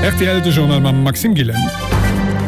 Rtl, de Journal mam Maxime Gillen.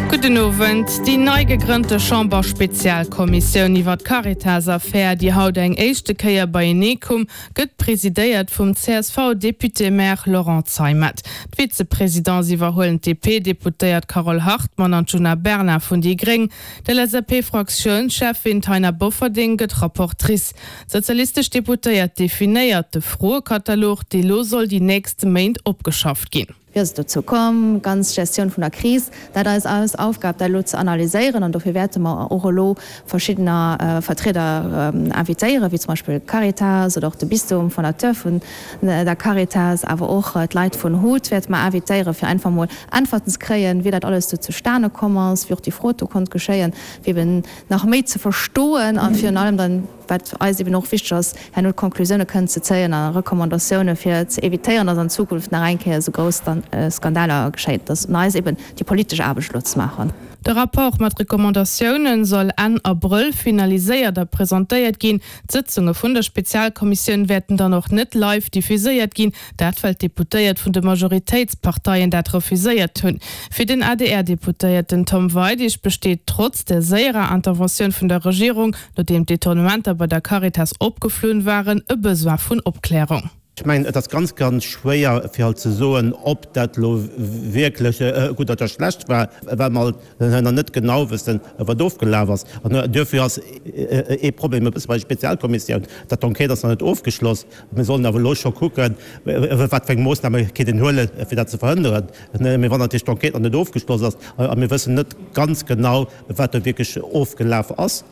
Gudden Owend. Déi nei gegrënnte Chamber-Spezialkommissioun iwwer d'Caritas-Affär, déi haut eng éischte Kéier beienee koum, gëtt presidéiert vum CSV-Député-Maire Laurent Zeimet. D'Vizepresidence iwwerhuelen d'DP-Deputéiert Carole Hartmann an d'Djuna Bernard vun déi gréng. D'LSAP-Fraktiounscheffin Taina Bofferding gëtt Rapportrice. D'sozialistesch Deputéiert definéiert de Froekatalog, dee lo soll déi nächst Méint opgeschafft ginn. Wéi ass et dozou komm? Ganz Gestioun vun der Kris, dat ass eis Aufgab, dat elo ze analyséieren. An dofir wäerte mer och elo verschiddener Vertrieder invitéieren, wéi zum Beispill d'Caritas oder och de Bistum, Fondateur vun der Caritas, awer och d'Leit vun hut wäerte mer invitéieren, fir einfach emol Äntwerten ze kréien, wéi dat alles do zustane komm ass, wéi och déi Fraude do konnt geschéien, fir eben nach méi ze verstoen a virun allem dann, wat eis eben och wichteg ass, herno d'Konklusioune kënnen ze zéien a Recommandatioune fir ze evitéieren, dass an Zukunft nach eng Kéier esou grouss Skandaler geschéien. Et ass un eis eben déi politesch Aarbecht elo ze maachen. De Rapport mat Recommandatioune soll Enn Abrëll finaliséiert a presentéiert ginn. D'Sëtzunge vun der Spezialkommissioun wäerten dann och net live diffuséiert ginn. Dat well d'Deputéiert vun de Majoritéitsparteien dat refuséiert hunn. Fir den ADR-Deputéierten Tom Weidig besteet trotz der séierer Interventioun vun der Regierung, nodeem d'Detournementer bei der Caritas opgeflunn waren, e Besoin vun Opklärung. Ech mengen, et ass ganz, ganz schwéier fir alt ze soen, ob dat elo wierklech gutt oder schlecht war, well mer alt nach net genau wëssen, wat ofgelaf ass. An duerfir ass ee Problem e bësse bei der Spezialkommissioun, datt d'Enquête ass nach net ofgeschloss. Mir sollen awer elo scho kucken, wat fir eng Moossname kéint een huelen, fir dat ze verhënneren. Mee wann natierlech d'Enquête nach net ofgeschloss ass a mir wëssen net ganz genau, wat do wierklech ofgelaf ass,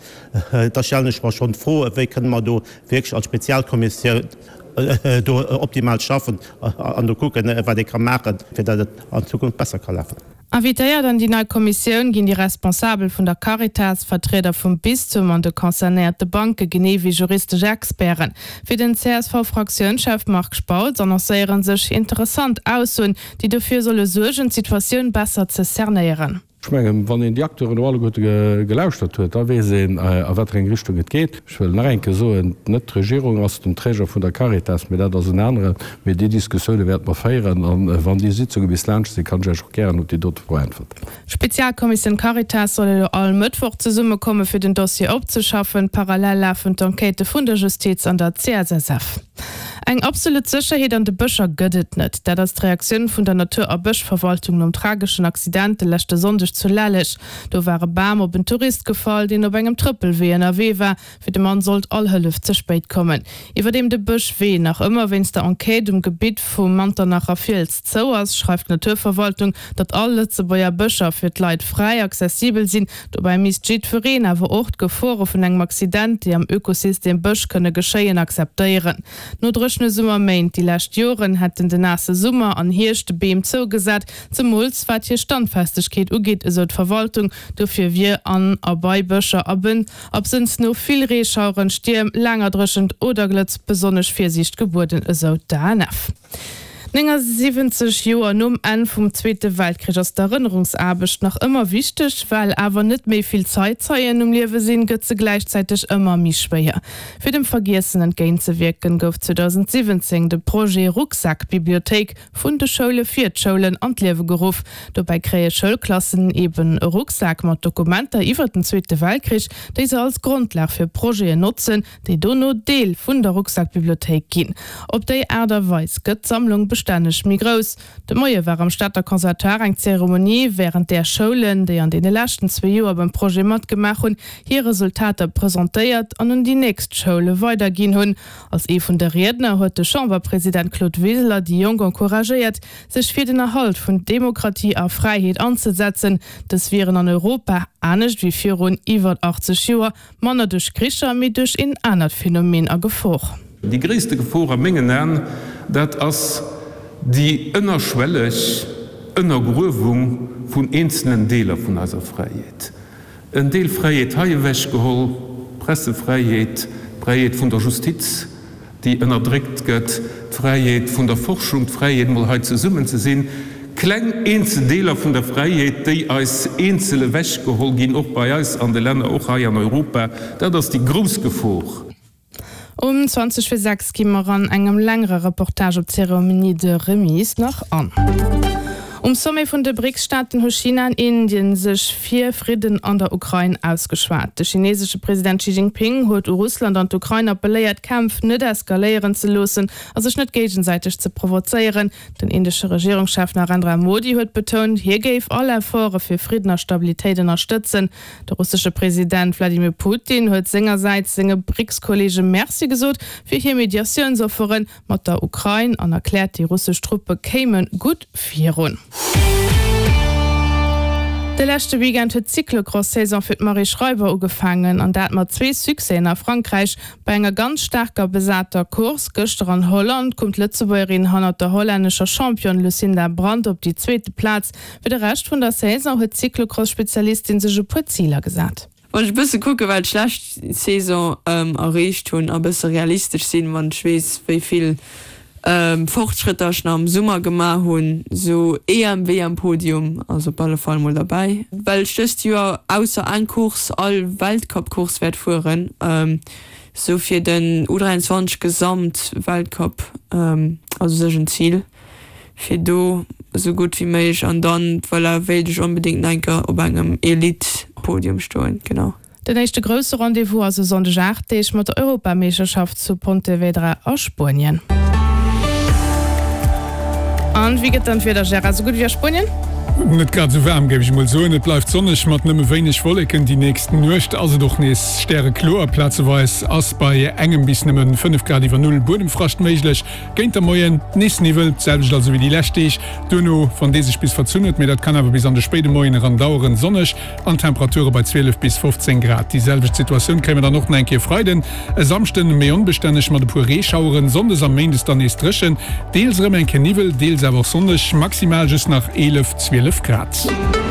da stellen ech mer schonn d'Fro, Wéi kënne mer do wierklech als Spezialkommissioun do optimal schaffen an do kucken, wat ee ka maachen, fir datt et an Zukunft besser ka lafen? Invitéiert an déi nei Kommissioun ginn déi Responsabel vun der Caritas, Vertrieder vum Bistum an de concernéierte Banke genee wéi juristesch Experten. Fir den CSV-Fraktiounschef Marc Spautz annoncéiere sech interessant Aussoen, déi dofir solle suergen, d'Situatioun besser ze cernéieren. Ech mengen, wann een déi Acteuren do alleguerte gelauschtert huet, da weess een, a wat fir eng Richtung et geet. Ech wëll nach eng Kéier soen, net d'Regierung ass den Träger vun der Caritas, mee dat ass en aneren. Mee déi Diskussioune wäerte mer féieren a wann déi Sitzunge bis laanscht sinn, kann ech Iech och gären op déi dote Fro äntwerten. D'Spezialkommissioun Caritas soll elo all Mëttwoch zesummekomme fir den Dossier opzeschaffen. Parallel lafen d'Enquêtë vun der Justiz an der CSSF. Eng absolut Sécherheet an de Bëscher gëtt et net. Dat ass d'Reaktioun vun der Natur a Bëschverwaltung nom trageschen Accident de leschte Sonndeg zu Lelleg. Do war e Bam op en Tourist gefall, deen op engem Trëppelwee ënnerwee war. Fir de Mann sollt all Hëllef ze spéit kommen. Iwwerdeem de Bëschwee nach ëmmer wéinst der Enquête um Gebitt vum Manternacher Fiels zou ass, schreift d'Naturverwaltung, datt all Lëtzebuerger Bëscher fir d'Leit fräi accessibel sinn. Dobäi misst jiddwereen awer och d'Gefore vun engem Accident, déi am Ökosystem Bësch kënne geschéien, akzeptéieren. No dréchene Summerméint déi lescht Joren hätten de naasse Summer an Hierscht de Beem zougesat, zemools wat hir Standfestegkeet ugeet, esou d'Verwaltung. Dofir wier an a bei Bëscher a Bënn absënns no vill Reeschaueren, Stierm, laanger Dréchent oder Glëtz besonnesch Virsiicht gebueden, esou d'ANF. 79 Joer nom Enn vum Zweete Weltkrich ass d'Erënnerungsaarbecht nach ëmmer wichteg. Well awer net méi vill Zeitzeien um Liewe sinn, gëtt se gläichzäiteg ëmmer méi schwéier. Fir dem Vergiessen entgéintzewierken, gouf 2017 de Projet Rucksak-Bibliothéik vun de Schoule fir d'Schoulen an d'Liewe geruff. Dobäi kréie Schoulklassen eben e Rucksak mat Dokumenter iwwer den Zweete Weltkrich, déi se als Grondlag fir Projeten notzen, déi dono Deel vun der Rucksak-Bibliothéik ginn. Op déi Aart a Weis gëtt d'Sammlung bestänneg méi grouss. De Moie war am Stater Conservatoire eng Zeremonie, wärend där Schoulen, déi an deene leschten zwee Joer beim Projet matgemaach hunn, hir Resultater presentéiert an un déi nächst Schoule weiderginn hunn. Als ee vun de Riedner huet de Chamberpresident Claude Wiseler déi Jonk encouragéiert, sech fir den Erhalt vun Demokratie a Fräiheet anzesetzen. Dës wieren an Europa, anescht wéi virun iwwer 80 Joer, Manner duerch Kricher, mee duerch een anert Phänomen a Gefor. Déi gréisste Gefor a mengen Aen, dat ass déi ënnerschwelleg Ënnergruewung vun eenzelen Deeler vun eiser Fräiheet. En Deel Fräiheet hei ewechgeholl, d'Pressefräiheet, d'Fräiheet vun der Justiz, déi ënnerdréckt gëtt, d'Fräiheet vun der Forschung, d'Fräiheet mol hei zesummen ze sinn, kleng eenzel Deeler vun der Fräiheet, déi eis eenzel ewechgeholl ginn, och bei eis an de Länner, och hei an Europa, dat ass déi grouss Gefor. Um 20 vir 6 gi mer an engem längere Reportage op d'Cérémonie de remise nach an. Um Sommet vun de BRICS-Staaten hu China an Indien sech fir Fridden an der Ukrain ausgeschwat. De chinesesche President Xi Jinping huet u Russland an d'Ukrain appelléiert, d'Kämpf net eskaléieren ze loossen a sech net géigesäiteg ze provozéieren. Den indesche Regierungschef Narendra Modi huet betount, hie géif all Efforte fir Fridden a Stabilitéit ënnerstëtzen. De russesche President Wladimir Putin huet sengersäits senge BRICS-Kolleege Merci gesot fir hir Mediatiounsofferen mat der Ukrain an erkläert, déi russesch Truppe kéime gutt virun. De leschte Weekend huet d'Cyclocross-Saison fir d'Marie Schreiber ugefaangen an dat mat zwee Succèsen a Frankräich. Bei enger ganz staarker besater Course gëschter an Holland koum d'Lëtzebuergerin hannert der hollännescher Championne Lucinda Brand op déi zweete Plaz. Fir de Rescht vun der Saison huet d'Cyclocross-Spezialistin sech e puer Ziler gesat. Wann ech e bësse kucke wat ech lescht Saison erreecht hunn a bësse realistesch sinn, wann ech weess wéi vill Fortschrëtter ech nach am Summer gemaach hunn, sou EM, WM Podium ass op alle Fall mol derbäi. Well ech dëst Joer ausser eng Course all Weltcup-Course wäert fueren, sou fir den U23 Gesamt Weltcup ass u sech en Zil. fir do esou gutt wéi méiglech an dann, voilà, wéilt ech onbedéngt nach eng Kéier op engem Elite-Podium stoen, genau. Den éischte grousse Rendez-vous ass e Sonndeg 8 Deeg mat der Europameeschterschaft zu Pontevedra a Spuenien. An wéi gëtt dann d'Wieder, Gérard? Esou gutt wéi a Spuenien? Net grad esou waarm, géif ech emol soen. Et bleift sonneg mat nëmme wéineg Wolleken. Déi nächst Nuecht ass et och nees stärekloer. Plazeweis ass bei engem bis nëmme 5 Grad iwwer Null Buedemfrascht méiglech. Géint der Moien nees Niwwel, d'selwecht also wéi déi lescht Deeg. Duerno, wann dee sech bis verzunn huet, mee dat kann awer bis an de spéide Moien eran daueren, sonneg an Temperature bei 12 bis 15 Grad. Déi selwecht Situatioun kréie mer dann och nach eng Kéier Freiden. E Samschden méi onbestänneg mat e puer Reeschaueren, sonndes a méindes dann nees dréchen, deels erëm eng Kéier Niwwel, deels awer och sonneg, maximal just nach 11, 12 Grad.